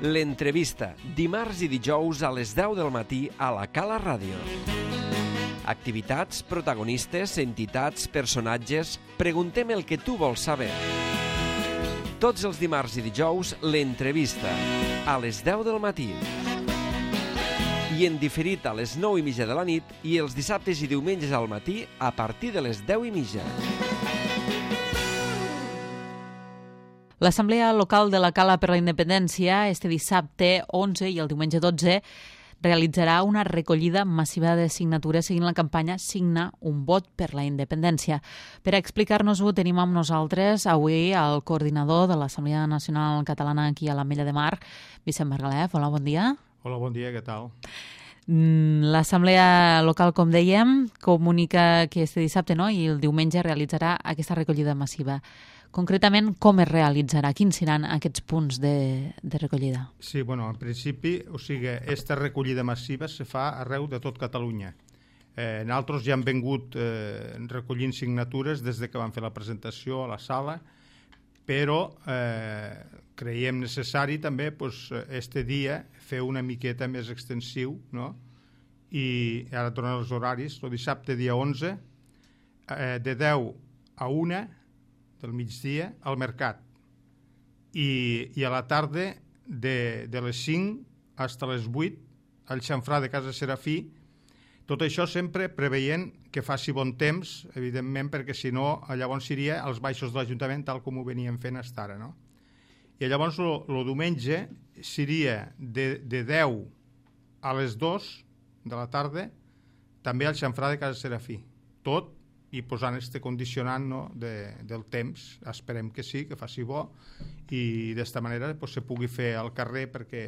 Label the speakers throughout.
Speaker 1: L'entrevista, dimarts i dijous a les 10 del matí a la Cala Ràdio. Activitats, protagonistes, entitats, personatges... Preguntem el que tu vols saber. Tots els dimarts i dijous, l'entrevista, a les 10 del matí. I en diferit a les 9:30 de la nit i els dissabtes i diumenges al matí a partir de les 10:30.
Speaker 2: L'Assemblea Local de la Cala per la Independència este dissabte 11 i el diumenge 12 realitzarà una recollida massiva de signatures seguint la campanya Signa un vot per la independència. Per explicar-nos-ho tenim amb nosaltres avui el coordinador de l'Assemblea Nacional Catalana aquí a l'Ametlla de Mar, Vicent Margalef. Hola, bon dia.
Speaker 3: Hola, bon dia, què tal?
Speaker 2: L'Assemblea Local, com dèiem, comunica que este dissabte i el diumenge realitzarà aquesta recollida massiva. Concretament, com es realitzarà? Quins seran aquests punts de recollida?
Speaker 3: Sí, bueno, en principi, aquesta recollida massiva se fa arreu de tot Catalunya. Nosaltres ja hem vingut recollint signatures des de que vam fer la presentació a la sala, però creiem necessari també este dia fer una miqueta més extensiu, no? I ara tornen els horaris. El dissabte, dia 11, de 10 a 1 del migdia al mercat i a la tarda de les 5 fins a les 8 al xamfrà de Casa Serafí. Tot això sempre preveient que faci bon temps, evidentment, perquè si no llavors iria als baixos de l'Ajuntament tal com ho veníem fent fins ara, no? I llavors el diumenge seria de 10 a les 2 de la tarda també al xamfrà de Casa Serafí. Tot i posant este condicionant, no, del temps. Esperem que sí, que faci bo i d'esta manera se pugui fer al carrer perquè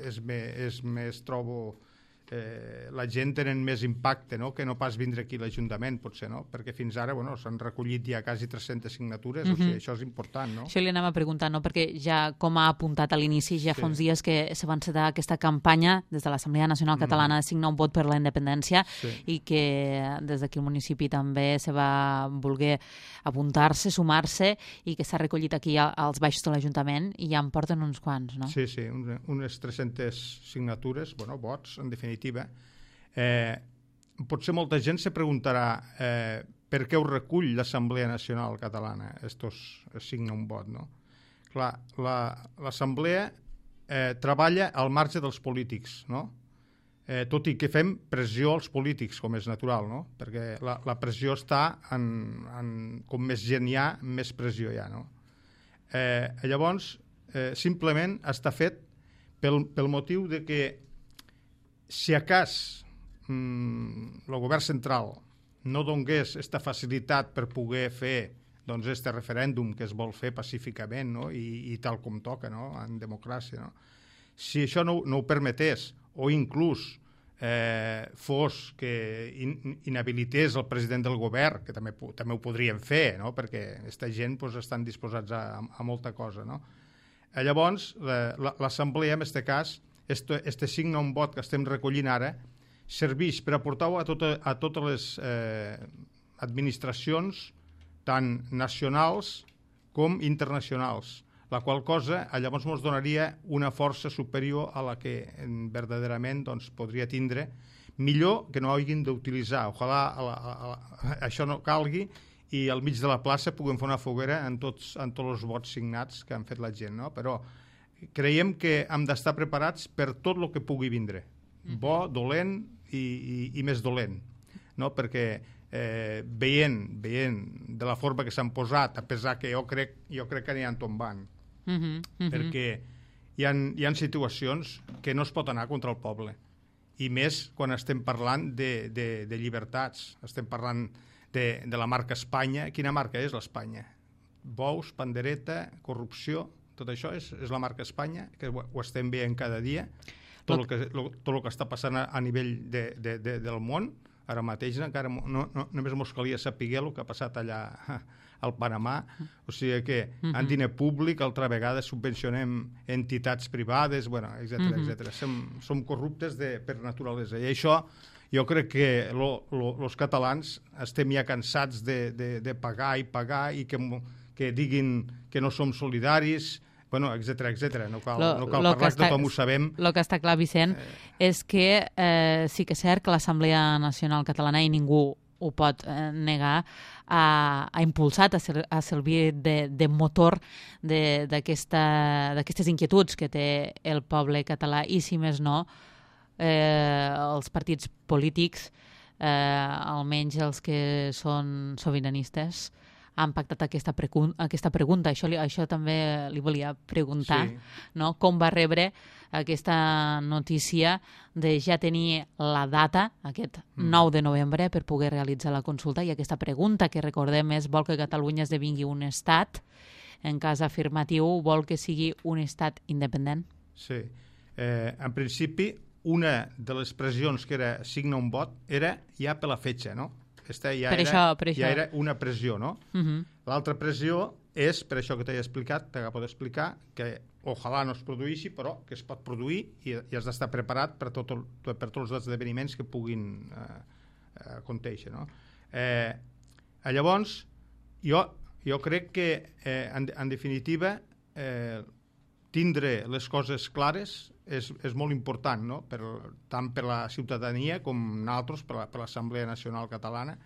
Speaker 3: és més trobo la gent tenen més impacte, no?, que no pas vindre aquí a l'Ajuntament, potser, no? Perquè fins ara s'han recollit ja quasi 300 signatures, o sigui, això és important, no?
Speaker 2: Això li anem a preguntar, no?, perquè ja, com ha apuntat a l'inici, ja fa uns dies que se va encetar aquesta campanya des de l'Assemblea Nacional Catalana de signar un vot per la independència i que des d'aquí el municipi també se va voler apuntar-se, sumar-se i que s'ha recollit aquí als baixos de l'Ajuntament i ja en porten uns quants, no?
Speaker 3: Sí, unes 300 signatures, vots, en definitiva. Potser molta gent se preguntarà per què ho recull l'Assemblea Nacional Catalana, signa un vot, no? Clar, l'Assemblea treballa al marge dels polítics, no? Tot i que fem pressió als polítics, com és natural, no? Perquè la pressió està com més gent hi ha, més pressió hi ha, no? Llavors, simplement està fet pel motiu de que si a cas el govern central no donés aquesta facilitat per poder fer este referèndum que es vol fer pacíficament, no? I tal com toca, no?, en democràcia, no? Si això no ho permetés o inclús fos que inhabilités el president del govern, que també ho podrien fer, no?, perquè aquesta gent estan disposats a molta cosa, no? Llavors, l'Assemblea, en aquest cas, este signa un vot que estem recollint ara serveix per aportar-ho a totes les administracions tant nacionals com internacionals, la qual cosa llavors ens donaria una força superior a la que verdaderament podria tindre, millor que no hagin d'utilitzar. Ojalà això no calgui i al mig de la plaça puguem fer una foguera en tots els vots signats que han fet la gent, no? Però creiem que hem d'estar preparats per tot el que pugui vindre, bo, dolent i més dolent, no? Perquè veient de la forma que s'han posat, a pesar que jo crec que aniran tombant, perquè hi ha situacions que no es pot anar contra el poble, i més quan estem parlant de llibertats, estem parlant de la marca Espanya. Quina marca és l'Espanya? Bous, pandereta, corrupció. Tot això és la marca Espanya, que ho estem veient cada dia, tot el que està passant a nivell del món. Ara mateix encara només ens calia saber el que ha passat allà al Panamà, o sigui que en diner públic altra vegada subvencionem entitats privades, etc. Som corruptes per naturalesa, i això jo crec que els catalans estem ja cansats de pagar i que diguin que no som solidaris, Bueno, etcètera. No cal parlar, que tothom ho sabem.
Speaker 2: El que està clar, Vicent, és que sí que és cert que l'Assemblea Nacional Catalana, i ningú ho pot negar, ha impulsat, ha servit de motor d'aquestes inquietuds que té el poble català, i si més no, els partits polítics, almenys els que són sobiranistes, han pactat aquesta pregunta. Això també li volia preguntar, no? Com va rebre aquesta notícia de ja tenir la data, aquest 9 de novembre, per poder realitzar la consulta, i aquesta pregunta, que recordem és: vol que Catalunya esdevingui un estat? En cas afirmatiu, vol que sigui un estat independent?
Speaker 3: Sí. En principi, una de les pressions que era signar un vot era ja per la fetge, no? Ja era una pressió, no? L'altra pressió és, per això que t'he explicat, t'acabo d'explicar, que ojalà no es produeixi, però que es pot produir i has d'estar preparat per tots els esdeveniments que puguin acontèixer, no? Llavors, jo crec que, en definitiva, tindre les coses clares és molt important, no? Tant per la ciutadania com nosaltres, per l'Assemblea Nacional Catalana.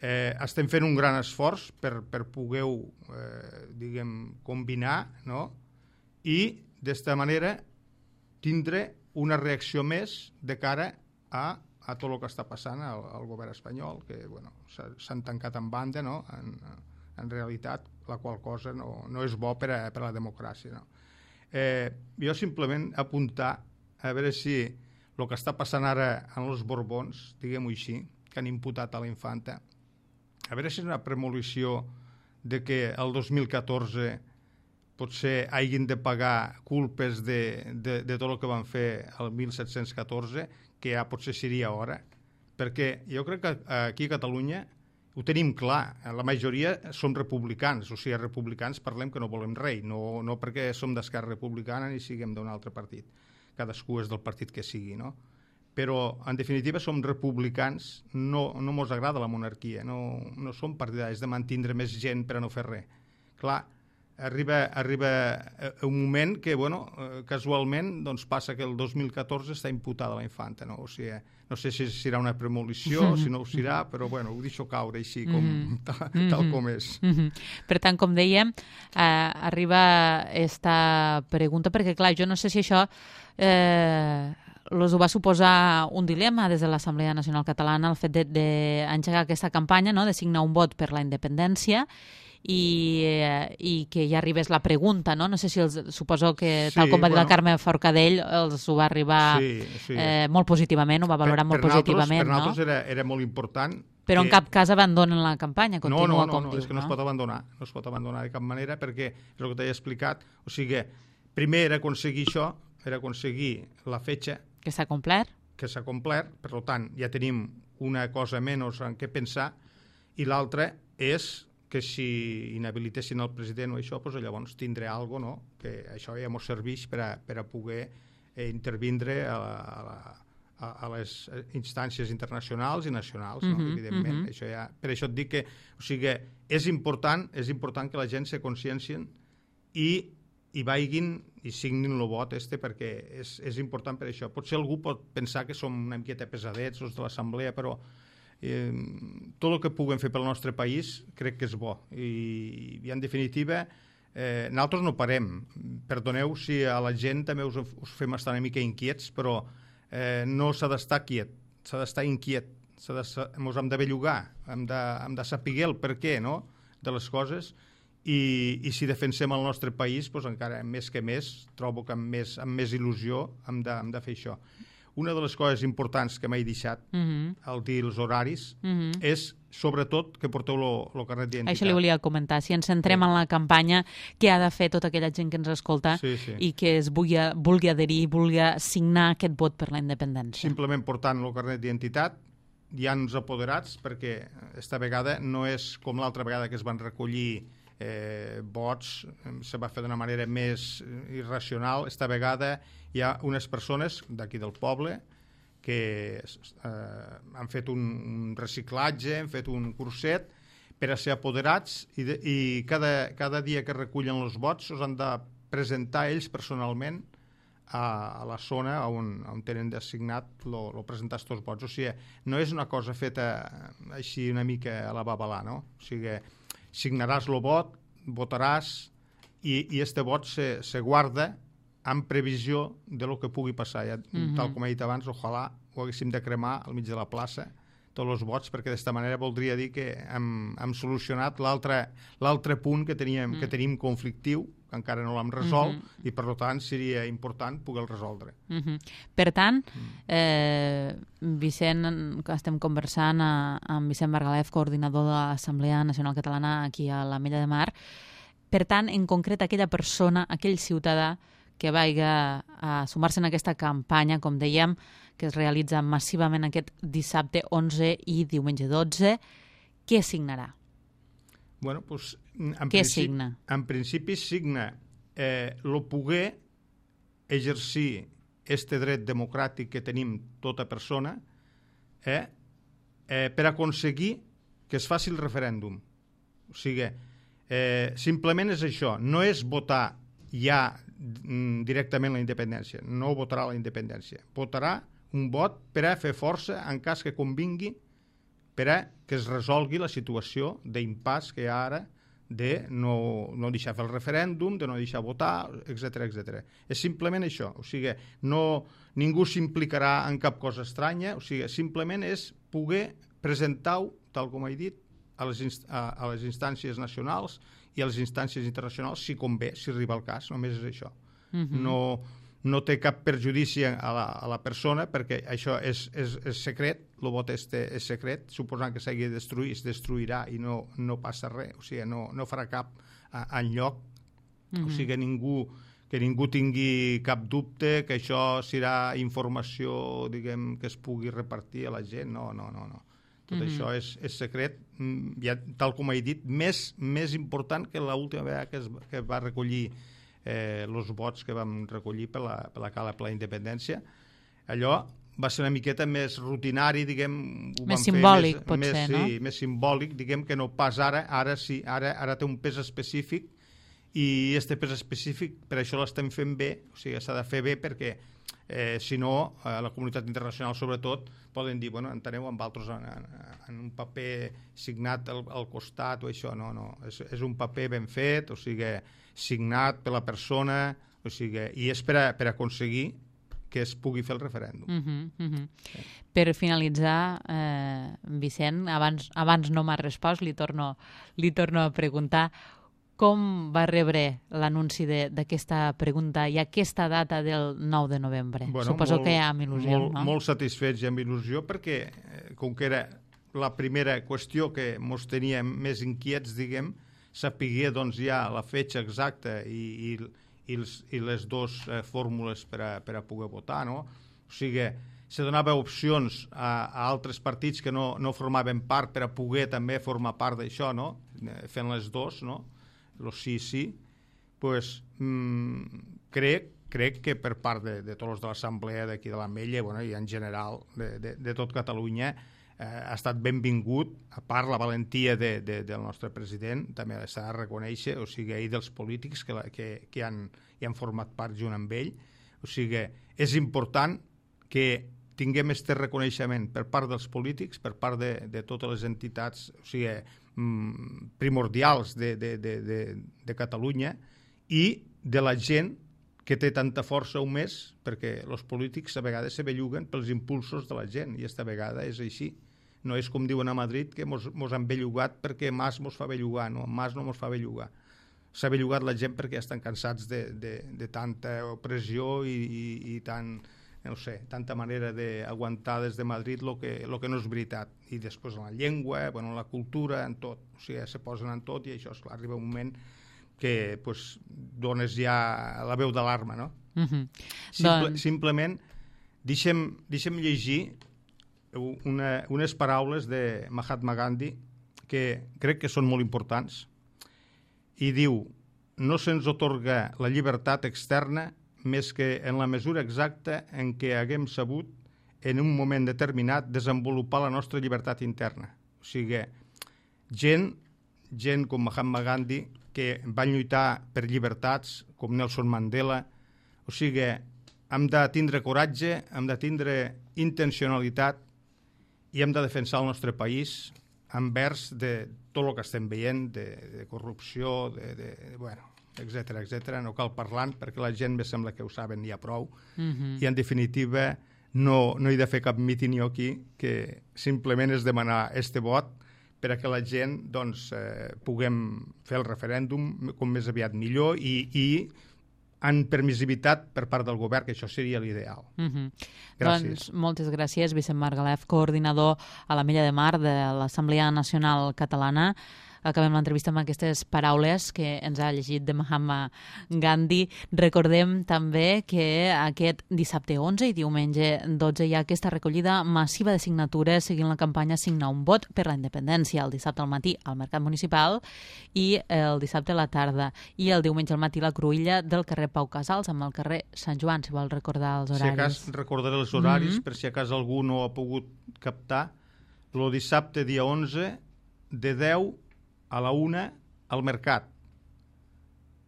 Speaker 3: Estem fent un gran esforç per poder combinar, no? I d'esta manera tindre una reacció més de cara a tot el que està passant al govern espanyol, que s'han tancat en banda, no? En realitat, la qual cosa no és bo per a la democràcia, no? Jo simplement apuntar a veure si el que està passant ara en els Borbons, diguem-ho així, que han imputat a la infanta, a veure si és una premonició de que el 2014 potser hagin de pagar culpes de tot el que van fer el 1714, que ja potser seria hora, perquè jo crec que aquí a Catalunya ho tenim clar, la majoria som republicans, o sigui, republicans parlem que no volem rei, no perquè som d'Esquerra Republicana ni siguem d'un altre partit, cadascú és del partit que sigui, no? Però, en definitiva, som republicans, no mos agrada la monarquia, no som partidaris de mantindre més gent per a no fer res. Clar, arriba un moment que, casualment, doncs passa que el 2014 està imputada la infanta, no? O sigui, no sé si serà una premonició, si no ho serà, però ho deixo caure així, tal com és.
Speaker 2: Per tant, com dèiem, arriba esta pregunta, perquè, clar, jo no sé si això us ho va suposar un dilema des de l'Assemblea Nacional Catalana, el fet d'engegar aquesta campanya, no?, de signar un vot per la independència, i que ja arribés la pregunta, no? No sé si suposo que, tal com va dir la Carme Forcadell, els ho va arribar molt positivament, ho va valorar molt positivament.
Speaker 3: Per nosaltres era molt important.
Speaker 2: Però en cap cas abandonen la campanya, continua com diu.
Speaker 3: No, és que no es pot abandonar de cap manera, perquè és el que t'he explicat. O sigui, primer era aconseguir això, era aconseguir la fetge.
Speaker 2: Que s'ha complert.
Speaker 3: Que s'ha complert, per tant, ja tenim una cosa menys en què pensar, i l'altra és que si inhabilitessin el president o això, doncs llavors tindré alguna cosa, no? Que això ja ens serveix per a poder intervindre a les instàncies internacionals i nacionals, no? Evidentment. Per això et dic que, o sigui, és important que la gent se consciencien i vagin i signin el vot perquè és important per això. Potser algú pot pensar que som una miqueta pesadets els de l'Assemblea, però tot el que puguem fer pel nostre país crec que és bo. I en definitiva, nosaltres no parem. Perdoneu si a la gent també us fem estar una mica inquiets, però no s'ha d'estar quiet, s'ha d'estar inquiet. Ens hem de bellugar, hem de saber el per què, no?, de les coses. I si defensem el nostre país, doncs encara més que més, trobo que amb més il·lusió hem de fer això. Una de les coses importants que m'he deixat al dir els horaris és, sobretot, que porteu el carnet d'identitat.
Speaker 2: Això li volia comentar. Si ens centrem en la campanya, què ha de fer tota aquella gent que ens escolta i que es vulgui adherir, vulgui signar aquest vot per la independència?
Speaker 3: Simplement portant el carnet d'identitat, hi ha uns apoderats, perquè esta vegada no és com l'altra vegada que es van recollir vots, se va fer d'una manera més irracional. Esta vegada hi ha unes persones d'aquí del poble que han fet un reciclatge, han fet un curset per a ser apoderats i cada dia que recullen els vots els han de presentar ells personalment a la zona on tenen designat el presentar aquests vots. O sigui, no és una cosa feta així una mica a la babalà, no? O sigui, signaràs el vot, votaràs i este vot se guarda en previsió de lo que pugui passar. Ja, tal com he dit abans, ojalà ho haguéssim de cremar al mig de la plaça, tots els vots, perquè d'esta manera voldria dir que hem solucionat l'altre punt que tenim conflictiu, que encara no l'hem resolt, i per tant seria important poder-lo resoldre.
Speaker 2: Per tant, Vicent, que estem conversant amb Vicent Margalef, coordinador de l'Assemblea Nacional Catalana aquí a l'Ametlla de Mar, per tant, en concret, aquella persona, aquell ciutadà que vagi a sumar-se en aquesta campanya, com dèiem, que es realitza massivament aquest dissabte 11 i diumenge 12, què signarà?
Speaker 3: Bueno, doncs,
Speaker 2: signa?
Speaker 3: En principi signa el poder exercir este dret democràtic que tenim tota persona per aconseguir que es faci el referèndum. O sigui, simplement és això, no és votar ja directament la independència, no votarà la independència, votarà un vot per a fer força en cas que convingui per a que es resolgui la situació d'impàs que hi ha ara de no deixar fer el referèndum, de no deixar votar, etc etc. És simplement això, o sigui, ningú s'implicarà en cap cosa estranya, o sigui, simplement és poder presentar-ho, tal com he dit, a les instàncies nacionals i a les instàncies internacionals, si convé, si arriba el cas, només és això. No té cap perjudici a la persona, perquè això és secret, el vot és secret, suposant que s'hagi de destruir, es destruirà i no passa res, o sigui, no farà cap enlloc, o sigui, que ningú tingui cap dubte que això serà informació, diguem, que es pugui repartir a la gent, no. Tot això és secret, ja, tal com he dit, més important que l'última vegada que es va recollir els vots que vam recollir per la Cala per la Independència. Allò va ser una miqueta més rutinari, diguem...
Speaker 2: Més simbòlic, potser, no?
Speaker 3: Sí, més simbòlic, diguem, que no pas ara. Ara sí, ara té un pes específic i este pes específic, per això l'estem fent bé, o sigui, s'ha de fer bé perquè si no, la comunitat internacional sobretot poden dir, bueno, enteneu amb altres en un paper signat al costat o això, no, és un paper ben fet, o sigui, signat per la persona, o sigui, i és per aconseguir que es pugui fer el referèndum.
Speaker 2: Per finalitzar, Vicent, abans no m'ha respost, li torno a preguntar com va rebre l'anunci d'aquesta pregunta i aquesta data del 9 de novembre? Suposo que ja amb il·lusió, no?
Speaker 3: Molt satisfets i amb il·lusió, perquè com que era la primera qüestió que ens teníem més inquiets, diguem, sapiguer doncs, ja la fetge exacta i les dues fórmules per a poder votar, no? O sigui, se donava opcions a altres partits que no formaven part per a poder també formar part d'això, no? Fent les dues, no? Los sí, pues, crec que per part de tots els de l'Assemblea d'aquí de l'Ametlla, bueno, i en general de tot Catalunya, ha estat benvingut, a part la valentia del nostre president, també s'ha de reconèixer, o sigui, i dels polítics que han format part junt amb ell. O sigui, és important que tinguem aquest reconeixement per part dels polítics, per part de totes les entitats, o sigui, primordials de Catalunya i de la gent que té tanta força o més, perquè els polítics a vegades se belluguen pels impulsos de la gent, i esta vegada és així. No és com diuen a Madrid, que mos han bellugat perquè Mas mos fa bellugar, no, Mas no mos fa bellugar. S'ha bellugat la gent perquè ja estan cansats de tanta opressió i tant, no sé, tanta manera d'aguantar des de Madrid lo que no és veritat. I després en la llengua, en la cultura, en tot. O sigui, se posen en tot i això, esclar, arriba un moment que pues, dones ja la veu d'alarma, no? Simplement, deixem llegir unes paraules de Mahatma Gandhi que crec que són molt importants, i diu: no se'ns atorga la llibertat externa més que en la mesura exacta en què haguem sabut en un moment determinat desenvolupar la nostra llibertat interna. O sigui, gent com Mahatma Gandhi que van lluitar per llibertats, com Nelson Mandela. O sigui, hem de tindre coratge, hem de tindre intencionalitat i hem de defensar el nostre país envers de tot el que estem veient, de corrupció, etc. No cal parlar perquè la gent me sembla que ho saben ja prou. I en definitiva no hi ha de fer cap míting aquí, que simplement és demanar este vot perquè la gent puguem fer el referèndum com més aviat millor i en permissivitat per part del govern, que això seria l'ideal. Gràcies.
Speaker 2: Doncs moltes gràcies, Vicent Margalef, coordinador a la Mella de Mar de l'Assemblea Nacional Catalana. Acabem l'entrevista amb aquestes paraules que ens ha llegit de Mahatma Gandhi. Recordem també que aquest dissabte 11 i diumenge 12 hi ha aquesta recollida massiva de signatures seguint la campanya Signa un vot per la independència, el dissabte al matí al Mercat Municipal i el dissabte a la tarda. I el diumenge al matí la cruïlla del carrer Pau Casals amb el carrer Sant Joan, si vol recordar els horaris.
Speaker 3: Si a cas recordaré els horaris, per si a cas algú no ha pogut captar. El dissabte dia 11 de 10 a la 1 al Mercat.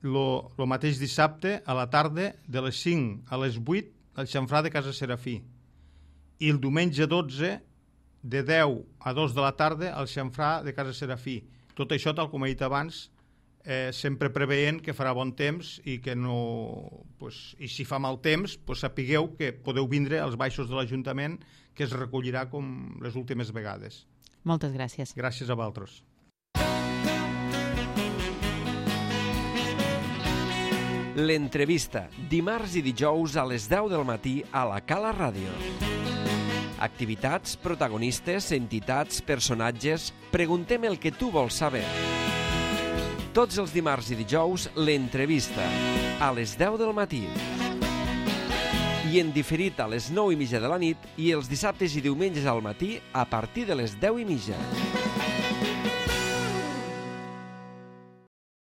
Speaker 3: El mateix dissabte a la tarda de les 5 a les 8 al xamfrà de Casa Serafí. I el diumenge 12 de 10 a 2 de la tarda al xamfrà de Casa Serafí. Tot això, tal com he dit abans, sempre preveient que farà bon temps i que no... I si fa mal temps, sapigueu que podeu vindre als baixos de l'Ajuntament, que es recollirà com les últimes vegades.
Speaker 2: Moltes gràcies.
Speaker 3: Gràcies a vosaltres.
Speaker 1: L'entrevista, dimarts i dijous a les 10 del matí a la Cala Ràdio. Activitats, protagonistes, entitats, personatges... Preguntem el que tu vols saber. Tots els dimarts i dijous, l'entrevista, a les 10 del matí. I en diferit a les 9:30 de la nit i els dissabtes i diumenges al matí a partir de les 10:30.